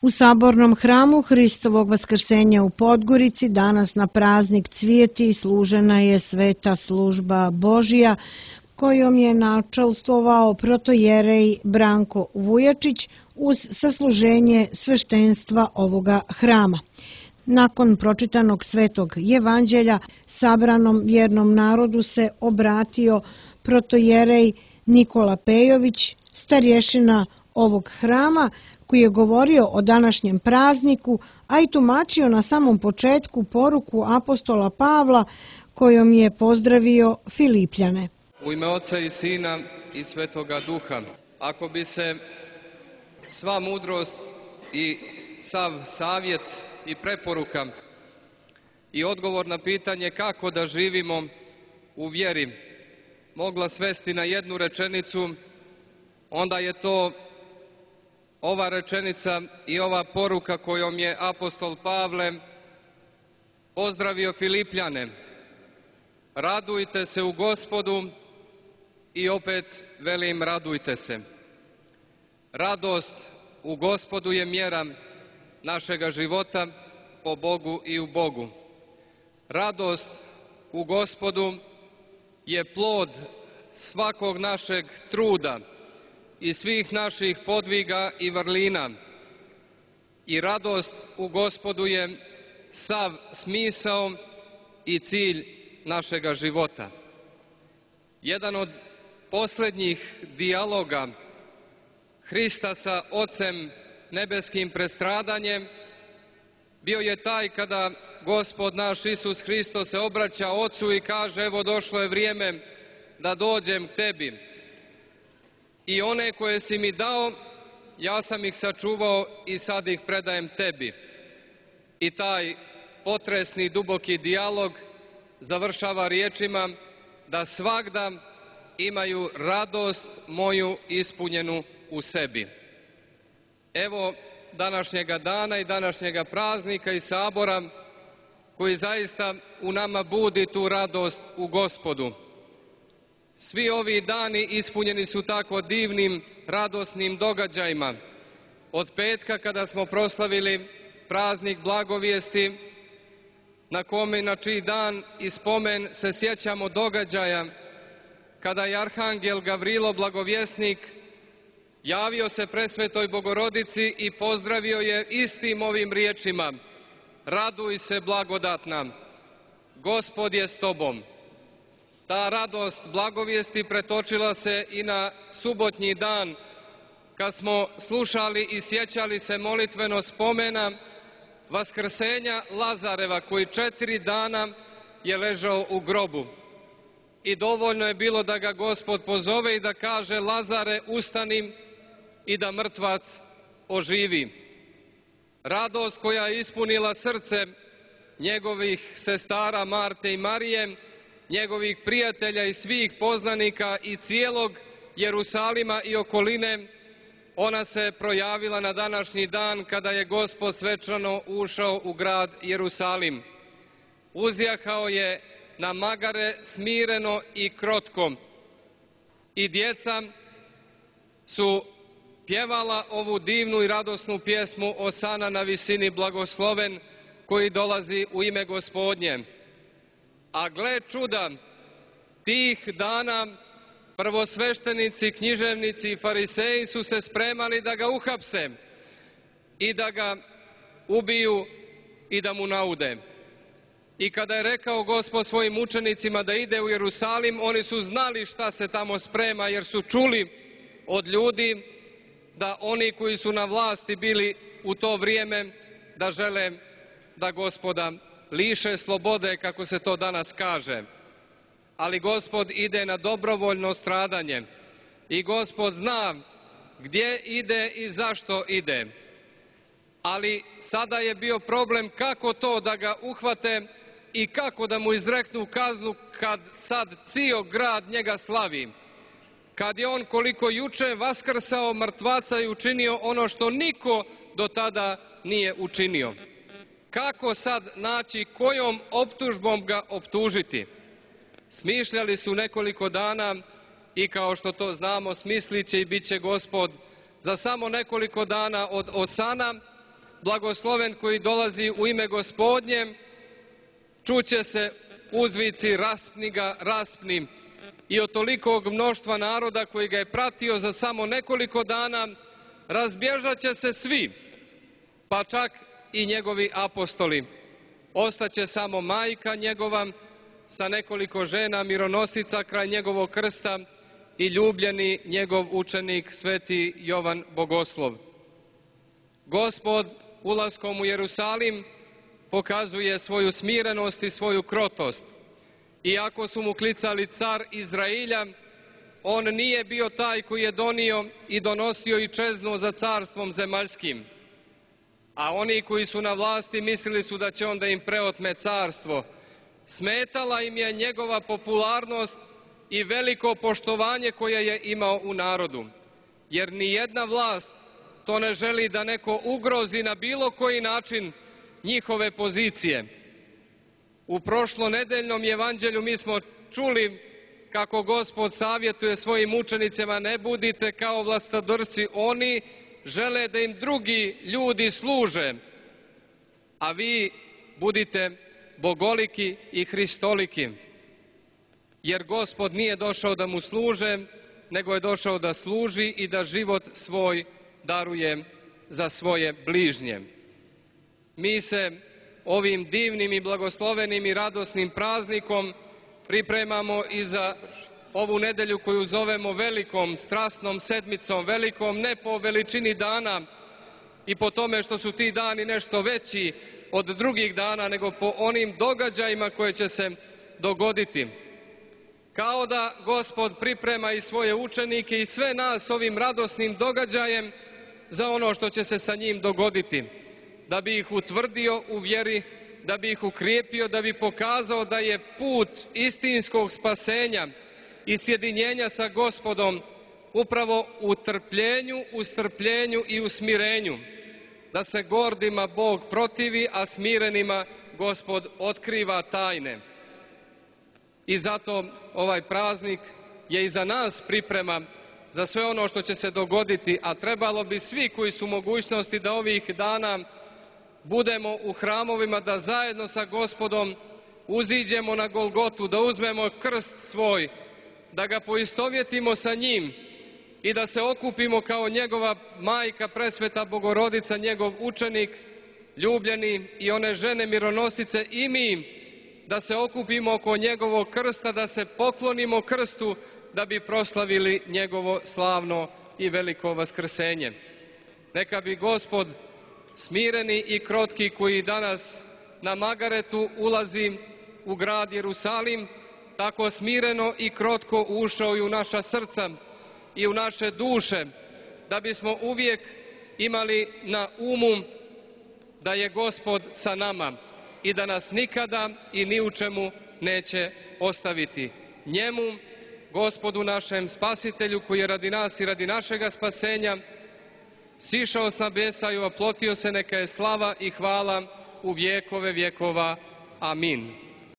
U Sabornom hramu Hristovog vaskrsenja u Podgorici danas na praznik Cvijeti služena je sveta služba Božija kojom je načelstvovao protojerej Branko Vujačić uz sasluženje sveštenstva ovoga hrama. Nakon pročitanog svetog evanđelja sabranom vjernom narodu se obratio protojerej Nikola Pejović, starješina ovog hrama, koji je govorio o današnjem prazniku, a i tumačio na samom početku poruku apostola Pavla kojom je pozdravio Filipljane. U ime Oca i Sina i Svetoga Duha, ako bi se sva mudrost i sav savjet i preporuka i odgovor na pitanje kako da živimo u vjeri mogla svesti na jednu rečenicu, onda je to ova rečenica i ova poruka kojom je apostol Pavle pozdravio Filipljane. Radujte se u Gospodu i opet velim radujte se. Radost u Gospodu je mjera našega života po Bogu i u Bogu. Radost u Gospodu je plod svakog našeg truda i svih naših podviga i vrlina. I radost u Gospodu je sav smisao i cilj našega života. Jedan od posljednjih dijaloga Hrista sa Ocem nebeskim prestradanjem bio je taj kada Gospod naš Isus Hristos se obraća Ocu i kaže: evo došlo je vrijeme da dođem k tebi. I one koje si mi dao, ja sam ih sačuvao i sad ih predajem tebi. I taj potresni duboki dijalog završava riječima da svagda imaju radost moju ispunjenu u sebi. Evo današnjega dana i današnjega praznika i sabora koji zaista u nama budi tu radost u Gospodu. Svi ovi dani ispunjeni su tako divnim, radosnim događajima. Od petka kada smo proslavili praznik blagovijesti, na kome na čiji dan i spomen se sjećamo događaja kada je arhangel Gavrilo blagovjesnik javio se presvetoj Bogorodici i pozdravio je istim ovim riječima: raduj se blagodatna, Gospod je s tobom. Ta radost blagovijesti pretočila se i na subotnji dan kad smo slušali i sjećali se molitveno spomena vaskrsenja Lazareva koji 4 dana je ležao u grobu. I dovoljno je bilo da ga Gospod pozove i da kaže: Lazare, ustani, i da mrtvac oživi. Radost koja je ispunila srce njegovih sestara Marte i Marije, njegovih prijatelja i svih poznanika i cijelog Jerusalima i okoline, ona se projavila na današnji dan kada je Gospod svečano ušao u grad Jerusalim. Uzjahao je na magare smireno i krotko i djeca su pjevala ovu divnu i radosnu pjesmu Osana na visini blagosloven koji dolazi u ime Gospodnje. A gle čuda, tih dana prvosveštenici, književnici i fariseji su se spremali da ga uhapse i da ga ubiju i da mu naude. I kada je rekao Gospod svojim učenicima da ide u Jerusalim, oni su znali šta se tamo sprema jer su čuli od ljudi da oni koji su na vlasti bili u to vrijeme da žele da Gospoda liše slobode, kako se to danas kaže. Ali Gospod ide na dobrovoljno stradanje i Gospod zna gdje ide i zašto ide. Ali sada je bio problem kako to da ga uhvate i kako da mu izreknu kaznu kad sad cijel grad njega slavi. Kad je on koliko juče vaskrsao mrtvaca i učinio ono što niko do tada nije učinio. Kako sad naći, kojom optužbom ga optužiti? Smišljali su nekoliko dana i kao što to znamo smislit će i bit će Gospod za samo nekoliko dana od Osana blagosloven koji dolazi u ime Gospodnje, čuće se uzvici raspni ga, raspni. I od tolikog mnoštva naroda koji ga je pratio za samo nekoliko dana razbježat će se svi, pa čak i njegovi apostoli. Ostaće samo majka njegova sa nekoliko žena mironosica kraj njegovog krsta i ljubljeni njegov učenik sveti Jovan Bogoslov. Gospod ulaskom u Jerusalim pokazuje svoju smirenost i svoju krotost. Iako su mu klicali car Izrailja, on nije bio taj koji je donio i donosio i čeznuo za carstvom zemaljskim. A oni koji su na vlasti mislili su da će onda im preotme carstvo. Smetala im je njegova popularnost i veliko poštovanje koje je imao u narodu. Jer ni jedna vlast to ne želi da neko ugrozi na bilo koji način njihove pozicije. U prošlonedeljnom evanđelju mi smo čuli kako Gospod savjetuje svojim učenicima: ne budite kao vlastodršci, oni žele da im drugi ljudi služe, a vi budite bogoliki i hristoliki. Jer Gospod nije došao da mu služe, nego je došao da služi i da život svoj daruje za svoje bližnje. Mi se ovim divnim i blagoslovenim i radosnim praznikom pripremamo i za ovu nedelju koju zovemo velikom strasnom sedmicom, velikom ne po veličini dana i po tome što su ti dani nešto veći od drugih dana, nego po onim događajima koje će se dogoditi. Kao da Gospod priprema i svoje učenike i sve nas ovim radosnim događajem za ono što će se sa njim dogoditi, da bi ih utvrdio u vjeri, da bi ih ukrijepio, da bi pokazao da je put istinskog spasenja i sjedinjenja sa Gospodom upravo u trpljenju, u strpljenju i u smirenju, da se gordima Bog protivi, a smirenima Gospod otkriva tajne. I zato ovaj praznik je i za nas priprema za sve ono što će se dogoditi, a trebalo bi svi koji su u mogućnosti da ovih dana budemo u hramovima, da zajedno sa Gospodom uziđemo na Golgotu, da uzmemo krst svoj, da ga poistovjetimo sa njim i da se okupimo kao njegova majka presveta Bogorodica, njegov učenik ljubljeni i one žene mironosice, i mi da se okupimo oko njegovog krsta, da se poklonimo krstu da bi proslavili njegovo slavno i veliko vaskrsenje. Neka bi Gospod smireni i krotki koji danas na Magaretu ulazi u grad Jerusalim, tako smireno i krotko ušao i u naša srca i u naše duše, da bismo uvijek imali na umu da je Gospod sa nama i da nas nikada i ni u čemu neće ostaviti. Njemu, Gospodu našem Spasitelju, koji je radi nas i radi našega spasenja sišao s nebesa i oplotio se, neka je slava i hvala u vjekove vjekova. Amin.